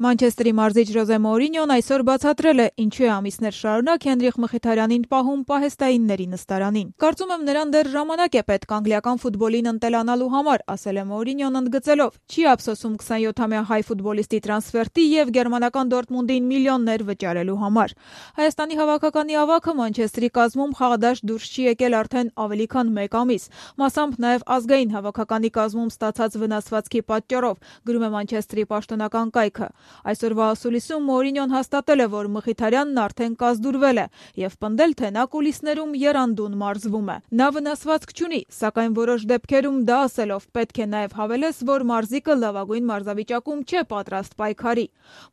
Մանչեստրի մարզիչ Ժոզե Մոուրինյոն այսօր բացատրել է, ինչու է ամիսներ շարունակ Հենրիխ Մխիթարյանին պահում պահեստայինների նստարանին։ Կարծում եմ, նրան դեռ ժամանակ է պետք անգլիական ֆուտբոլին ընտելանալու համար, ասել է Մոուրինյոն ընդգծելով. չի ափսոսում 27-ամյա հայ ֆուտբոլիստի տրանսֆերտի եւ գերմանական Դորտմունդին միլիոններ վճարելու համար։ Հայաստանի հավաքականի ավագը Մանչեստրի կազմում խաղադաշտ դուրս չի եկել արդեն ավելի քան 1 ամիս, մասամբ նաեւ ազգային հավաքականի կազմում ստացած վնասվածքի պատճառով, գրում է Մանչեստրի պաշտոնական կայքը։ Այսօրվա ասուլիսում Մոուրինյոն հաստատել է, որ Մխիթարյանն արդեն կազդուրվել է եւ պնդել, թե նա կուլիսներում եռանդուն մարզվում է։ Նա վնասվածք չունի, սակայն որոշ դեպքերում դա ասելով պետք է նաեւ հավելես, որ մարզիկը լավագույն մարզավիճակում չէ պատրաստ պայքարի։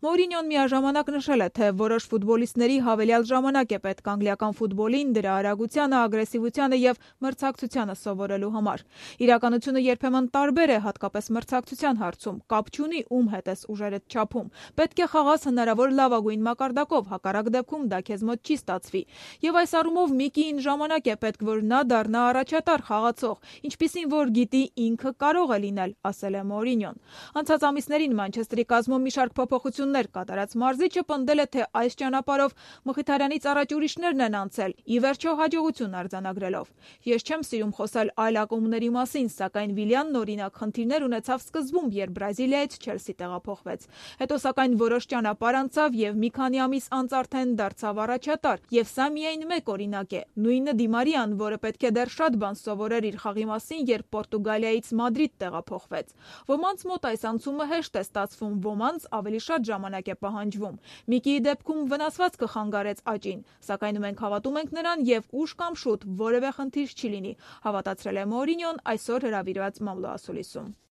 Մոուրինյոն միաժամանակ նշել է, թե որոշ ֆուտբոլիստների հավելյալ ժամանակ է պետք անգլիական ֆուտբոլին, դրա արագությանը, ագրեսիվությանը եւ մրցակցությանը սովորելու համար։ Իրականությունը երբեմն տարբեր է, հատկապես մրցակցության հարցում, կապ չունի ում հետ ես ուժերդ չափում։ Պետք է խաղաս հնարավոր լավագույն մակարդակով, հակառակ դեպքում դա քեզ մոտ չի ստացվի։ Եվ այս առումով Միկիին ժամանակ է պետք, որ նա դառնա առաջատար խաղացող, ինչպիսին որ գիտի ինքը կարող է լինել, ասել է Մոուրինյոն։ Անցած ամիսներին Մանչեստրի կազմում մի շարք փոփոխություններ կատարած մարզիչը պնդել է, թե այս ճանապարհով Մխիթարյանից առաջ ուրիշներն են անցել, ի վերջո հաջողություն արձանագրելով։ Ես չեմ սիրում խոսել այլ ակումբների մասին, սակայն Վիլյանն օրինակ խնդիրներ ունեցավ սկզբում, երբ Բրազիլիայից Չելսի տեղափոխվեց։ Հետո սակայն որոշ ճանապարհ անցավ եւ մի քանի ամիս անց արդեն դարձավ առաջատար, եւ սա միայն մեկ օրինակ է։ Նույնը Դի Մարիան, որը պետք է դեռ շատ բան սովորեր իր խաղի մասին, երբ Պորտուգալիայից Մադրիդ տեղափոխվեց։ Ոմանց մոտ այս անցումը հեշտ է ստացվում, ոմանց ավելի շատ ժամանակ է պահանջվում։ Միկիի դեպքում վնասվածքը խանգարեց աճին, սակայն մենք հավատում ենք նրան եւ ուշ կամ շուտ որևէ խնդիր չի լինի, հավատացրել է Մոուրինյոն այսօր հրավիրված մամլո ասուլիսում։